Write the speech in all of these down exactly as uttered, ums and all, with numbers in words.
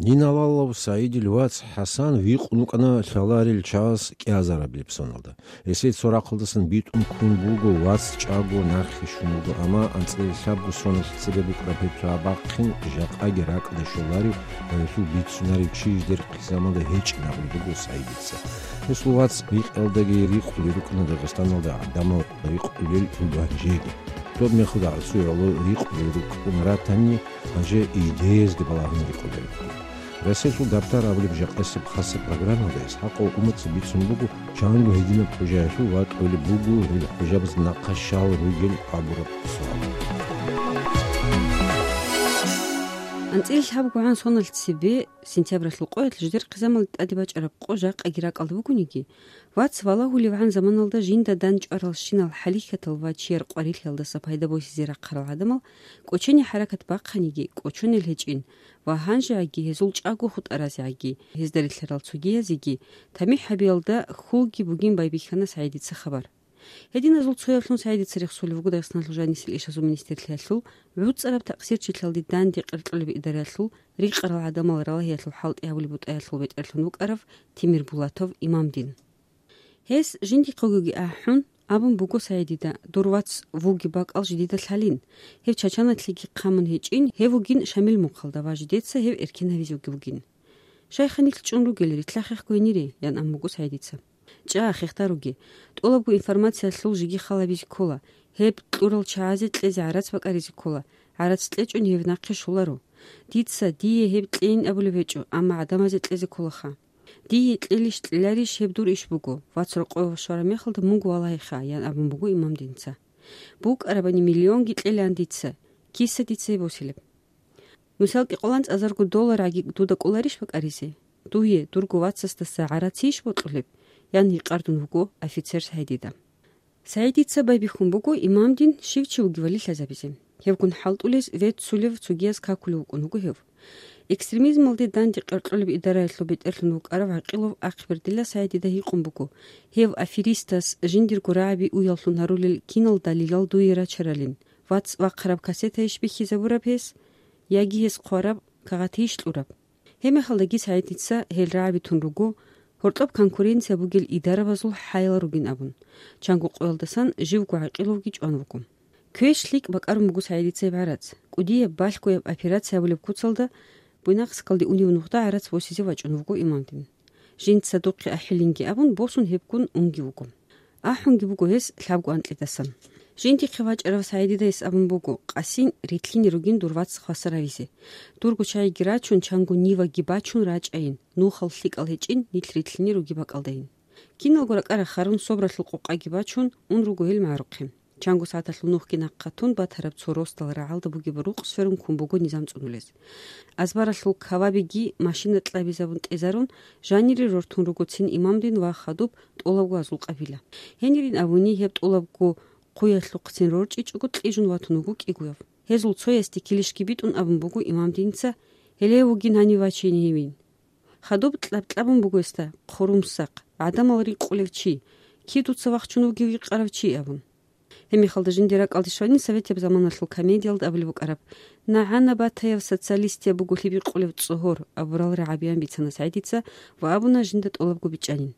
Диналалав СагӀидил вац ХӀасан викъун вукӀана лъаларел чагӀаз кӀиазараб лебсоналда. Гьесие цо рахъалдасан битӀун ккун буго вац чӀаго нахъе щун буго, амма анцӀила лъабго соналъ цебе букӀараб гьеб чагӀ бахъин жакъаги ракӀалде щоларев ва гьелъул бицунарев чи жидер хъизамалда гьечӀин абулеб буго СагӀидица. Гьесул вац рикъиялдаги рикъулел рукӀана Дагъистаналда гӀадамал рикъулел гӀоло гьанжеги. Доб мехалда гӀасуялъул рикъулел рукӀун ратани, гьанже идеязде балагьун рикъулел рукӀун. Расилъул дабтар абулеб жакъасеб хасаб программаялда ИсхӀакъов Умаца бицун буго, чанго гьединаб хӀужаялъул ватӀулеб буго гьел хӀужабаз нахъа щал ругел абураб суал. АнцӀила лъабгогӀан соналъ цебе, сентябралъул къоялъ жидер хъизамалде тӀаде бачӀараб къо жакъаги ракӀалда бугониги, вац валагьуливгӀан заманалда жинда дандчӀваралщинал хӀалихьатал ва чияр къварилъиялдаса пайда босизе рахъарал гӀадамал кӀочене хӀаракат бахъаниги, кӀочонел гьечӀин ва гьанжегӀаги гьезул чӀаго хутӀаразегӀаги, гьезда рилълъарал цогиязеги тамихӀ гьабиялда хьулги бугин байбихьана СагӀидица хабар. Гьединазул цояблъун СагӀидица рехсолев вуго Дагъистаналъул жанисел ишазул министрлъиялъул гӀуцӀараб такъсирчилъалде данде къеркьолеб идараялъул рикъарал гӀадамал ралагьиялъул хӀалтӀи гьабулеб бутӀаялъул бетӀерлъун вукӀарав Тимирбулатов Имамдин. Гьес жиндихъегоги ахӀун, абун буго СагӀидида: «Дур вац вугеб бакӀал жидеда лъалин. Гьев Чачаналъеги хъамун гьечӀин, гьев вугин Шамил мухъалда ва жидеца гьев эркен гьавизеги вугин». «Щайха нилъ чӀун ругел, рилълъахъехъо гьенире», – ян абун буго СагӀидица. «ЧӀа, хехтаруге. ТӀолабго информациялъул жеги хал гьабизе ккола. Гьеб кьурал чагӀазе кьезе гӀарац бакӀаризе ккола. ГӀарац кьечӀони гьев нахъе щоларо. Дица, дие гьеб кьейин абулеб гьечӀо, амма гӀадамазе кьезе кколаха. Дие кьелищ-кьеларищ, гьеб дур иш буго, вац рокъове щвараб мехалда мунго валагьиха», – ян абун буго Имамдинца. «БукӀарабани миллионги кьелаан дица. Киса дица гьеб босилеб?» «Мисал, кӀикъоялда анцӀазарго долларгӀаги дуда кӀоларищ бакӀаризе? Дуе, дурго вацасдаса гӀарацийищ бокьулеб?» – ян гьикъардун вуго офицер СагӀидида. СагӀидица байбихьун буго Имамдин щив чи вугевали лъазабизе. Гьевгун хӀалтӀулез веццулев цогияз какулев вукӀун вуго гьев. Экстремизмалде данде къеркьолеб идараялъул бетӀерлъун вукӀарав ГӀакъилов Ахъбердилла СагӀидида гьикъун буго, гьев аферистас жиндирго рагӀаби уяллъун гьарулел кинал далилал дуе рачаралин, вац вахъараб кассетайищ бихьизабураб гьес, яги гьес хъвараб кагъатийищ кьураб? Гьебмехалдаги СагӀидица гьел рагӀаби тун руго, гьоркьоб конкуренция бугел идарабазул хӀаял ругин абун, чанго къоялдасан живго ГӀакъиловги чӀван вуго. Квеш лъикӀ бакӀарун буго СагӀидица гьеб гӀарац. КӀудияб балъгояб операция гьабулеб куцалда Буйнакскалде унев нухда гӀарац босизе вачӀун вуго Имамдин. Жинца духъе ахӀилинги абун, босун гьебгун унги вуго. АхӀунги буго гьес лъабго анкьидасан. Жиндихъе вачӀарав СагӀидида гьес абун буго: «Къасин, рилълъине ругин дур вац хвасар гьавизе. Дурго чагӀиги рачун, чанго ниваги бачун рачӀайин, нухал лъикӀал гьечӀин, нилъ рилълъине ругеб бакӀалдайин». Киналго ракӀа рахарун, собралъул къокъаги бачун, ун руго гьел магӀарухъе. Чанго сагӀаталъул нухги нахъа тун батараб цо росдал рагӀалда бугеб рукъ сверун ккун буго низам цӀунулез. Азбаралъул кавабиги машина кьабизабун тӀезарун, жанире рортун руго цин Имамдин ва хадуб тӀолабго азул къабила. Гьенирин абуни, гьеб тӀолабго хъуялъухъцин рорчӀичӀого кьижун ватун вуго кӀигояв. Гьезул цоясде килищги битӀун абун буго Имамдинца: «Гьеле вугин гьанив вачейин гьевин». Хадуб кьаб-кьабун буго гьесда: «Хъурумсахъ, гӀадамал рикъулев чи, кид дуца вахчун вугев гьикъарав чи», – абун. Гьебмехалда жиндир ракӀалде щванин советияб заманалъул комедиялда абулеб букӀараб: «НагӀана батаяв социалистияб буго лъиб гьикъулев цӀогьор», – абурал рагӀабиян бицана СагӀидица ва абуна жинда тӀолабго бичӀчӀанин.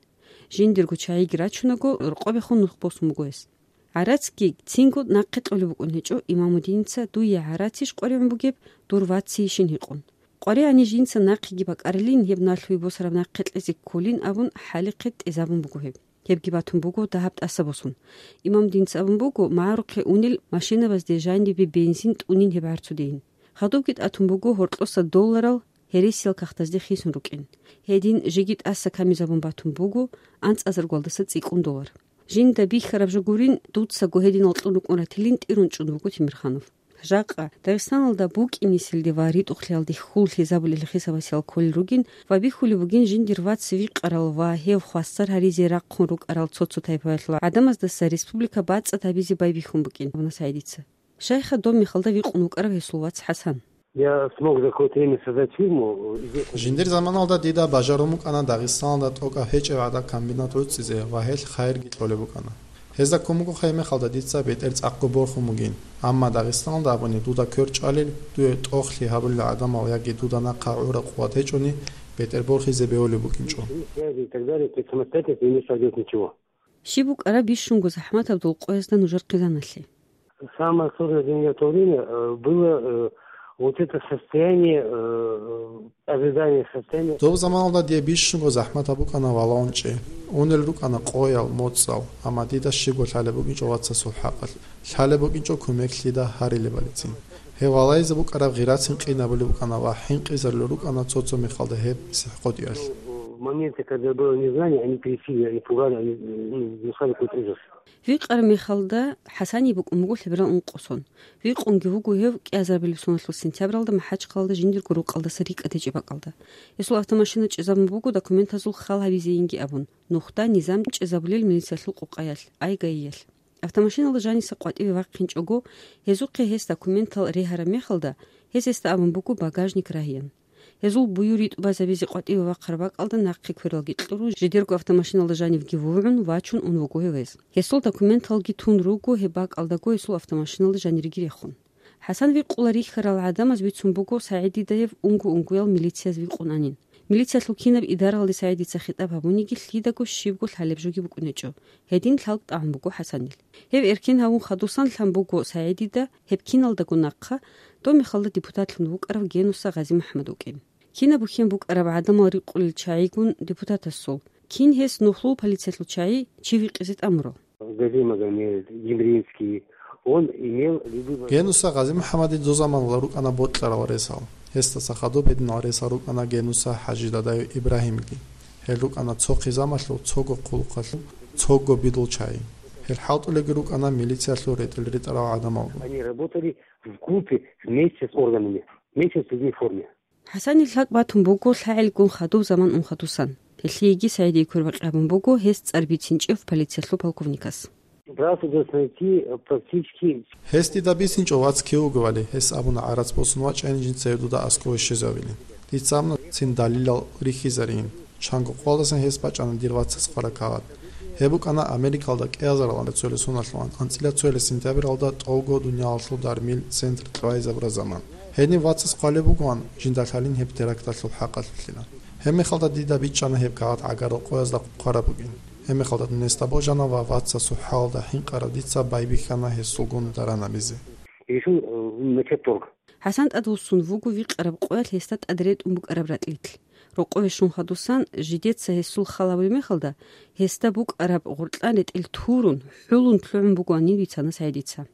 Жиндирго чагӀиги рачунаго, рокъобехун нух босун буго гьес. ГӀарацги цинго нахъе кьолеб букӀун гьечӀо Имамуддиница, дуе гӀарацищ къваригӀун бугеб, дур вацийищин гьикъун. КъваригӀани жинца нахъеги бакӀарилин, гьеб налъуе босараб нахъе кьезе кколин абун, хӀалихъе тӀезабун буго гьеб. Гьебги батун буго дагьаб тӀаса босун. Имамуддиница абун буго, магӀарухъе унел машинабазде жанибе бензин тӀунин гьеб гӀарцудейин. Хадубги тӀатун буго гьоркьоса долларал гьересиял кагътазде хисун рукӀин. Гьедин жеги тӀаса камизабун батун буго, анцӀазаргуялдаса цӀикӀкӀун доллар. Жинда бихьараб жо гурин, дуцаго гьединал кьун рукӀун ратилин тӀирун чӀун вуго Тимирханов. Жакъа Дагъистаналда букӀинеселде ва ритӀухълъиялде хьул лъезабулел хисабасиял кколел ругин ва бихьулеб бугин жиндир вац викъарал ва гьев хвасар гьаризе рахъун рукӀарал цо-цо тайпаялъул гӀадамаздаса республика бацӀцӀад гьабизе байбихьун букӀин абуна СагӀидица. Щайха доб мехалда викъун вукӀарав гьесул вац ХӀасан. Я смог за какое-то время создать фирму, известную. Жиндир заманалда дида бажарун букӀана Дагъистаналда тӀокӀаб гьечӀеб гӀадан комбинат гӀуцӀизе ва гьелъ хайирги кьолеб букӀана. Гьезда ккун буго гьеб мехалда дица бетӀер цӀакъго борхун бугин. Амма Дагъистаналда абуни, дуда квер чӀвалел, дуе тӀохлъи гьабулел гӀадамал яги дуда нахъа гӀураб къуват гьечӀони, бетӀер борхизе бегьулеб букӀинчӀо. Связи и так далее, то есть самостоятельно ты не сойдёшь ничего. Щиб букӀараб бищунго захӀматаб дол къоязда нужер хъизаналъе? Самое сложное для меня в то время, э, было, э, вот это состояние, э, ожидание состояния. Доб заманалда дие бищунго захӀматаб букӀана валаун чӀей. Унел рукӀана къоял, моцӀал, амма дида щибго лъалеб букӀинчӀо вацасул хӀакъалъ. Лъалеб букӀинчӀо кумек лъида гьарилебалицин. Гьев валайзе букӀараб гъирацин къинабулеб букӀана ва хӀинкъизарулел рукӀана цо-цо мехалда гьеб сихӀкъотӀиялъ. Моменты, когда было незнание, они трясили, они пугали, они, ну, внушали какой-то ужас. Викъараб мехалда ХӀасание букӀун буго лъеберал ункъо сон. Викъунги вуго гьев кӀиазарбилеб соналъул сентябралда МахӀачхъалалда жиндирго рукъалдаса рикӀкӀад гьечӀеб бакӀалда. Гьесул автомашина чӀезабун буго документазул хал гьабизейинги абун, нухда низам чӀезабулел милициялъул къукъаялъ, ай ГАИялъ. Автомашиналда жаниса къватӀиве вахъинчӀого, гьезухъе гьес документал регьараб мехалда, гьез гьесда абун буго багажник рагьеян. Гьезул буюр-ритӀубазабизе къватӀиве вахъараб бакӀалда нахъе квералги кьурун, жидерго автомашиналда жанивги вугӀун, вачун ун вуго гьев гьез. Гьесул документалги тун руго гьеб бакӀалдаго гьесул автомашиналда жанириги рехун. ХӀасан викъула рихьарал гӀадамаз бицун буго СагӀидидаев унго-унгоял милицияз викъун анин. Милициялъул кинаб идаралде СагӀидица хитӀаб гьабуниги лъидаго щибго лъалеб жоги букӀунечӀо. Гьедин лъалкӀ тӀагӀун буго ХӀасанил. Гьев эркен гьавун хадусан лъан буго СагӀидида гьеб киналдаго нахъа, доб мехалда депутатлъун вукӀарав Генуса ГъазимухӀамад вукӀин. Кинаб бухьен букӀараб гӀадамал рикъулел чагӀигун депутатасул, кин гьес нухлул полициялъул чагӀи чи викъизе тӀамурал? Гази Магомед, Демринский, он имел любые... Генуса ГъазимухӀамадил дозаманалда рукӀана бокьарал ресал. Гьесдаса хадуб гьединал ресал рукӀана Генуса ХӀажидадав Ибрагьимги. Гьел рукӀана цо хъизамалъул, цого хъулухъалъул, цого бидул чагӀи. Гьел хӀалтӀулелги рукӀана милициялъул ретӀел ретӀарал гӀадамалгун. Они работали в группе вместе с органами, вместе с людьми в форме. ХӀасанил лъалкӀ батун буго лъагӀелгун хадуб заман ун хадусан. Гьелъиеги СагӀидие квербакъи гьабун буго гьес цӀар бицинчӀев полициялъул полковникас. Брат удостоверить практически. Гьес дида бицинчӀо вац кив вугевали, гьес абуна гӀарац босун вачӀайин жинца гьев дуда аскӀове щвезавилин. Дица абуна цин далилал рихьизарин. Чанго къоялдасан гьес бачӀана дир вацас хъвараб кагъат. Гьеб букӀана Америкалда кӀиазаралда цоялъ соналъул анцӀила цоялъ сентябралда тӀолго дуниялалъул дармил центр кьвайзабураб заман. Гьениб вацас хъвалеб бугоан, жинда лъалин гьеб теракталъул хӀакъалъулъила. Гьеб мехалда дида бичӀчӀана гьеб кагъат гӀагарал къоязда хъвараб бугин. Гьеб мехалда дун гьесда божана ва вацасул хӀалалда хӀинкъарав дица байбихьана гьесулгун даран гьабизе. Решил, э, начать торг. ХӀасан тӀадвуссун вуго викъараб къоялъ гьесда тӀад ретӀун букӀараб ратӀлилъ. Рокъове щун хадусан, жидеца гьесул хал гьабулеб мехалда, гьесда букӀараб гъоркьан ретӀел турун, хӀулун лъугӀун бугоанин бицана СагӀидица.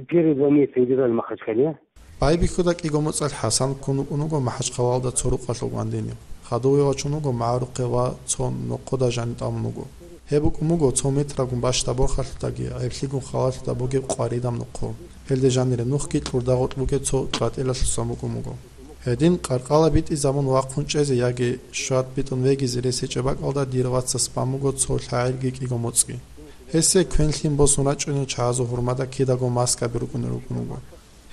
Первые два месяца удержали в Махачкале. Байбихьуда кӀиго моцӀалъ ХӀасан ккун вукӀун вуго МахӀачхъалалда цо рукъалъул гвандинив. Хадув гьев вачун вуго магӀарухъе ва цо нохъода жани тӀамун вуго. Гьеб букӀун буго цо метрагун бащдаб борхалъудаги гӀеблъигун халалъуда бугеб къваридаб нохъо. Гьелде жанире нухги кьурда гъоркь бугеб цо кьватӀилалъусан букӀун буго. Гьедин къаркъала битӀизабун вахъун чӀезе яги щват битӀун вегизе рес гьечӀеб бакӀалда дир вацас бан буго цо лъагӀелги кӀиго моцӀги. Гьесие квен-лъим босун рачӀунел чагӀазул гьурмада кидаго маскаби рукӀунел рукӀун вуго.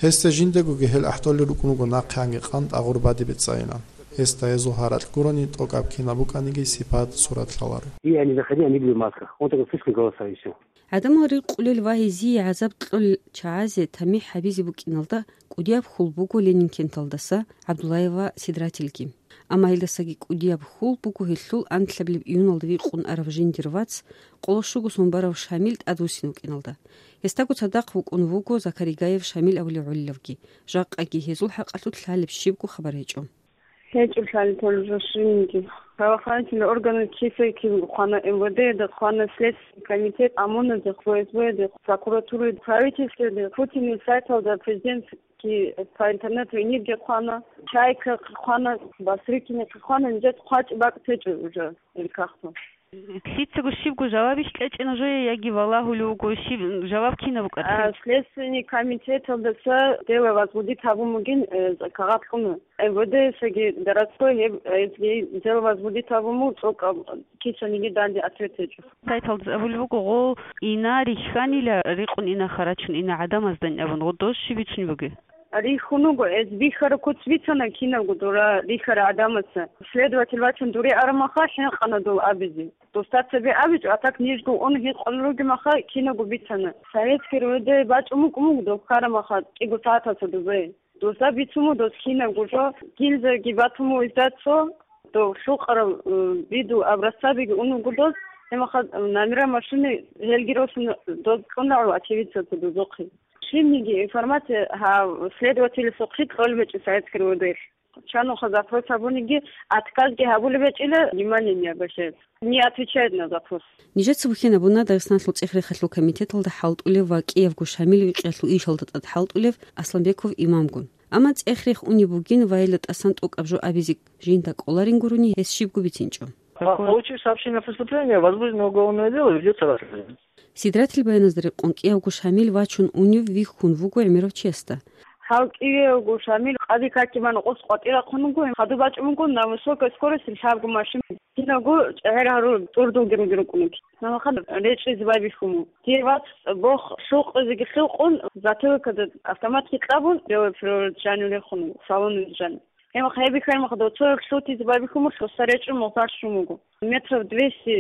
Гьесда жиндагоги гьел ахӀдолел рукӀун вуго нахъе гьанги къан тӀагъур бадибе цӀайилан. Гьесда гьезул гьаракь гурони тӀокӀаб кинаб букӀаниги сипат-сурат лъаларо. И они заходили, они были в масках. Он только слышал голоса и всё. ГӀадамал рикъулел ва гьезие гӀазаб кьолел чагӀазе тамихӀ гьабизе букӀиналда кӀудияб хьул буго Ленинкенталдаса ГӀабдуллаева Сидратилги. Амма гьелдасаги кӀудияб хьул буго гьелъул анлъабилеб июналда викъун арав жиндир вац, къоло щуго сон барав Шамил тӀадвуссин вукӀиналда. Гьесдаго цадахъ вукӀун вуго Закаригаев Шамил абулев гӀолилавги, жакъаги гьезул хӀакъалъулъ лъалеб щибго хабар гьечӀо. ГьечӀо лъалеб толеб жо щибниги. Правоохранительный орган кисайкин хъвана, МВД-да хъвана, Следственный комитет, ОМОН-да, ФСБ-да, прокуратурада, правительствода, Путинил сайталда, президент ки по интернету инибги хъвана, Чайка хъвана, Басрыкина хъвана, нижеца хъвачӀеб бакӀ течӀо уже ил кагътал. Лъицаго щибго жавабищ кьечӀина жое яги валагьулев вуго, щиб жаваб кинаб букӀараб? А, Следственный комитеталдаса дело возбудить гьабун бугин, э, кагъат кьуна. МВД-саги городской гьеб, э, дело возбудить гьабун буго, цӀокӀаб кисаниги данде ответ гьечӀо. Сайталдаса абулеб буго, гъо ина рихьанила, рикъун ина харачун ина гӀадамаздани абун, гъо дос щиб бицунеб бугеб? Рихьун вуго, эс бихьараб куц бицана кинабго дура рихьарал гӀадамаца. Следователь вачун дуре араб мехалъ хӀинкъана дол абизе. Устарца бе абичӀо, а так нижго ун гьикъун ругемаха кинабго бицана. Советский РОВД бачӀун букӀун буго дов ккарамаха кӀиго сагӀаталца дубе. Дозда бицун буго дос кинабго жо, гильзаги батун буго издацо, дов лъукъарал, э, виду образцабиги ун буго дос, гьемаха номера машины гьелги росун дос кьун рагӀу очевидцаца дозухъе. Щибниги информация гьав следователасухъе кьолеб гьечӀо Советский РОВД-лъ. Чанухъа запрос гьабуниги, отказги гьабулеб гьечӀила, внимание не обращает. Не отвечает на запрос. Нижеца бухьен абуна Дагъистаналъул цӀех-рехалъул комитеталда хӀалтӀулев ва кӀиявго Шамил викъиялъул ишалда тӀад хӀалтӀулев Асланбеков имамгун. Амма цӀех-рех унеб бугин ва гьелда тӀасан тӀокӀаб жо абизе жинда кӀоларин гурони гьес щибго бицинчӀо. По случаю сообщения о преступлении возбуждено уголовное дело, ведется расследование. Сидратил баяназда рекъон кӀиявго Шамил вачун унев вихьун вуго гӀемерав чиясда. Гьав кӀиявго Шамил къади какиман къос къватӀирахъун вуго, хадуб бачӀун вуго на высокой скорости лъабго машин. Киналго чӀегӀер гьарун тӀурдулги руги рукӀун вуги. Гьамахъан речӀчӀизе байбихьун вуго. Дир вац бох лъукъизеги лъукъун, затылкада автоматги кьабун, белый флюорид жанив рехун вуго, салонида жанив. Гьеб хъайбихьармаха доцояв лъутизе байбихьун буго, лъуса речӀчӀун мугъзар щун вуго. Метров двести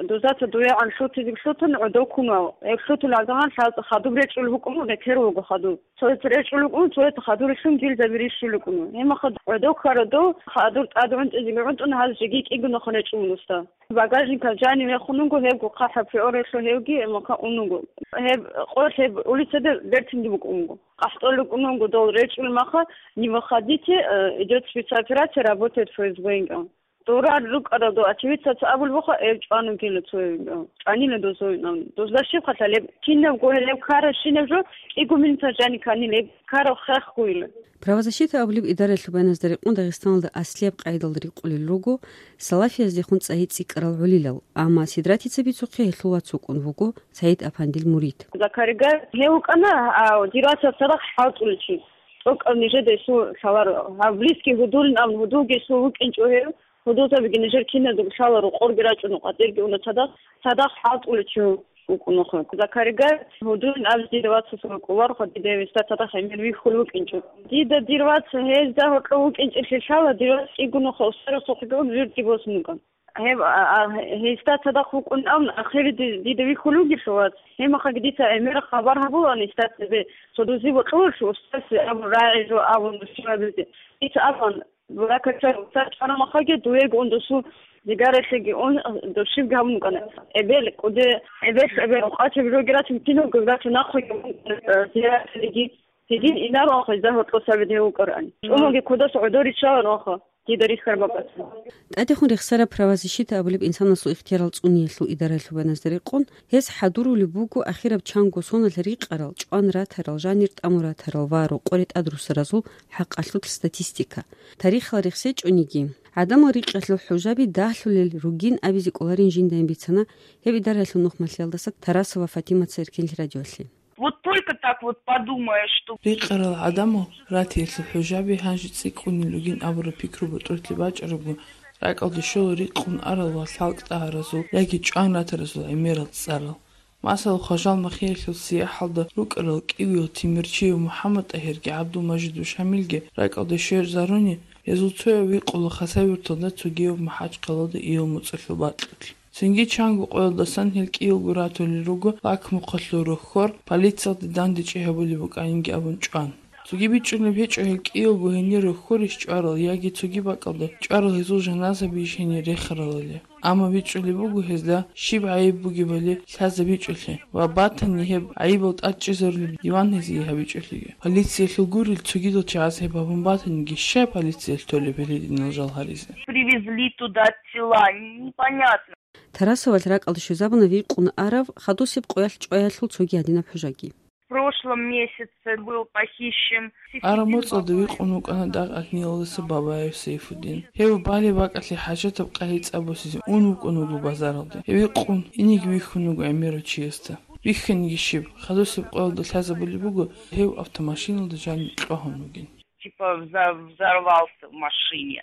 дузаца дуягӀан лъутизе лъутун гӀодов ккун вав. Гьеб лъутулеб гӀадамал лъаз-, хадуб речӀчӀулеб букӀун буго, рекер вуго хадуб. Цояца речӀчӀулеб букӀун, цояца хадур рилълъун гильзаби рищулеб букӀун. Гьеб махха гӀодов ккарав дов хадур тӀад гӀунтӀизеги гӀунтӀун гьаз жеги кӀигунахъе речӀчӀун вуго уста. Багажникал жанив яхун вуго, гьебго хъахӀаб фиорелъул гьевги гьеб махха ун вуго. Гьеб къо-, гьеб улицада бертинги букӀун вуго. КъахӀтӀолел рукӀун вуго дол речӀчӀулеб махха, не выходите, э, идёт спецоперация, работает ФСБ, инкӀан. Дора рукӀарал дов очевидцаца абулеб буха, гьеб чӀван вугила цояв, инкӀан. ЧӀванила дозоинан. Дозда щиб хъалъа гьеб? Кинабго гьелеб ккарабщинаб жо кӀиго минутал жанив кканила, гьеб ккараб хехгойила. Правозащита абулеб идараялъул баяназда рекъон Дагъистаналда аслияб къайдалда рикъулел руго салафияздехун цӀайи цӀикӀкӀарал гӀолилал, амма Сидратица бицухъе гьелъул вац вукӀун вуго, СагӀид-апандил мурид. Закаригай гьев вукӀана, а, дир вацал цадахъ хӀалтӀулев чи. ТӀокӀаб нижеда гьесул лъаларо. Гьав близкий гьудулин абун, гьудулги гьесул вукӀинчӀо гьев. Гьудулзабиги нижер киназдаго лъаларо, къорги рачӀуна, къватӀирги уна цадахъ. Цадахъ хӀалтӀулев чи вукӀунаха. Закаригай гьудулин абизе дида вацасул вукӀулароха, дида гьев гьесда цадахъ гӀемер вихьулев вукӀинчӀо. Дида дир вац гьезда гьоркьов вукӀинчӀелъи лъала, дир вац кӀигунухъа устарасухъеги ун вирдги босун вукӀан. Гьеб, а, а, гьесда цадахъ вукӀун абун, ахири ди-, дида вихьулев вугелъул вац. Гьебмахаги дица гӀемераб хабар гьабулаан гьесда цебе, цо дузе бокьуларо устазе абун, рагӀи жо абун, нусибабизе. Дица абун, буракача, уста чӀварамахаги, дуего ун досул дигаралъеги ун, дос щибги гьабун букӀана. Эбел, кӀуде, эбел, эбел, къвачаб жоги рачун, кинабго рачун, нахъеги ун, э, зиярат кьеги. Гьедин инаро ахӀи, загьур тӀосаби дев вукӀарани. ЧӀумаги кодас гӀодор риччаларо ахӀа, дида рихьараб бакӀалъ. ТӀадехун рехсараб правозащита абулеб инсанасул ихтиярал цӀуниялъул идараялъул баяназда рекъон, гьес хӀадурулеб буго ахираб чанго соналъ рикъарал, чӀван ратарал, жанир тӀамун ратарал ва рокъоре тӀадруссаразул хӀакъалъулъ статистика. Тарихалда рехсечӀониги, гӀадамал рикъалъул хӀужаби дагьлъулел ругин абизе кӀоларин жиндайин бицана гьеб идараялъул нухмалъиялдаса Тарасова Фатимаца Эркенлъи радиоялъе. Вот только так вот подумаешь, что Рикъарал гӀадамал ратиялъул хӀужаби гьанже цӀикӀкӀунел ругин абураб пикру ботӀролъи бачӀарабго, ракӀалде щола рикъун арал ва лъалкӀ тӀагьаразул яги чӀван ратаразул гӀемерал цӀарал. Масала, Хважал-Махиялъул СияхӀалда рукӀарал кӀивиял Тимирчиев МухӀаммад-ТӀагьирги ГӀабдул-Мажидов Шамилги ракӀалде щвезаруни, гьезул цояв викъула Хасавюрталда, цогияв МахӀачхъалада иял моцӀалъул бакьулъ. Цинги чанго къоялдасан гьел кӀиялго ратулел руго лакмухъалъул рохьор, полициялде дандечӀей гьабулеб букӀанинги абун чӀван. Цоги бичӀчӀулеб гьечӀо гьел кӀиялго гьенир рохьорищ чӀварал яги цоги бакӀалда чӀварал гьезул жаназабийищ гьенир рехаралали. Амма бичӀчӀулеб буго гьезда щиб гӀайиб бугебали лъазабичӀолъи ва батани гьеб гӀайибал тӀадчӀезарулеб диван гьезие гьабичӀолъиги. Полициялъул гурел цогидал чагӀаз гьеб гьабун батаниги, щай полициялъ толеб гьеле гьединал жал гьаризе? Привезли туда тела, непонятно. Тарасовалъ ракӀалде щвезабуна викъун арав хадусеб къоялъ чӀваялъул цоги гьадинаб хӀужаги. В прошлом месяце был похищен. Араб моцӀалда викъун вукӀана дагъ-агьлиялдаса Бабаев Сайфудин. Гьев балеб бакӀалъе хӀажатаб къагӀи цӀа босизе ун вукӀун вуго базаралде. Гьев викъун, инеги вихьун вуго гӀемерав чиясда. Вихьаниги щиб, хадусеб къоялда лъазабулеб буго, гьев автомашиналда жанив кьвагьун вугин. Типа вза-, взорвался в машине.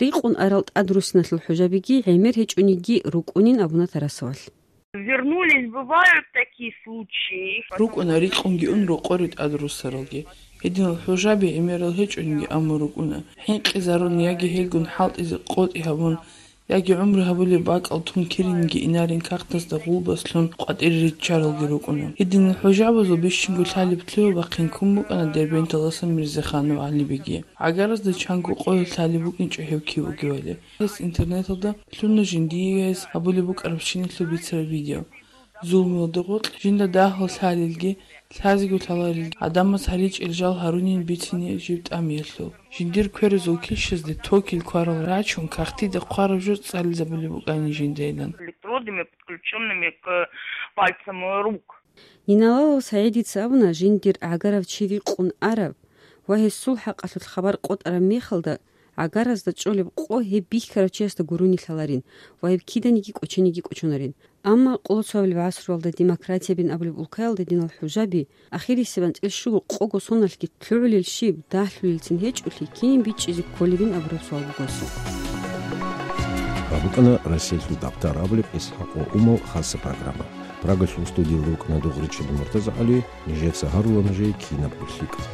Рикъун арал тӀадруссиналъул хӀужабиги гӀемер гьечӀониги рукӀунин абуна Тарасовалъ. Вернулись, бывают такие случаи. РукӀуна, рикъунги ун рокъоре тӀадруссаралги. Гьединал хӀужаби гӀемерал гьечӀониги, амма рукӀуна. ХӀинкъизарун яги гьелгун хӀалтӀизе къотӀи гьабун, Яги гӀумру гьабулеб бакӀал тун киринги инарин кагътазда гъулбас лъун къватӀире риччаралги рукӀуна. Гьединал хӀужабазул бищунго лъалеб лъугьа-бахъин ккун букӀана Дербенталдаса Мирзаханов ГӀалибеги. ГӀагаразда чанго къоялъ лъалеб букӀинчӀо гьев кив вугевали. Гьес интернеталда лъуна жиндие гьес гьабулеб букӀарабщиналъул бицараб видео. Зулмуялда гъоркь жинда дагьал лъалелги, лъазего лъаларелги, гӀадамаз гьаричӀел жал гьарунин бицине жиб тӀамиялъул. Жиндир кверазул килщазде токил кварал рачун, кагътида хъвараб жо цӀализабулеб букӀани жиндайилан. Электродами, подключёнными к пальцам рук. Ниналалав СагӀидица абуна, жиндир гӀагарав чи рикъун араб ва гьесул хӀакъалъулъ хабар къотӀараб мехалда, гӀагаразда чӀолеб къо гьеб бихьарав чиясда гурони лъаларин ва гьеб киданиги кӀочениги кӀочонарин. Амма къоло цоабилеб гӀасруялда демократиябин абулеб улкаялда диналъул хӀужаби, ахирисеб анцӀил щуго къого соналъги лъугӀулел щиб, дагьлъулелцин гьечӀолъи, кин бичӀчӀизе кколебин абураб суал буго гьесул. Гьаб букӀана Россиялъул дагътар абулеб ИсхӀакъ ва Умал хасаб программа. Прагалъул студиялда вукӀана Дугъричилан МуртазагӀали, нижеца гьарула нужее кинабго лъикӀаб.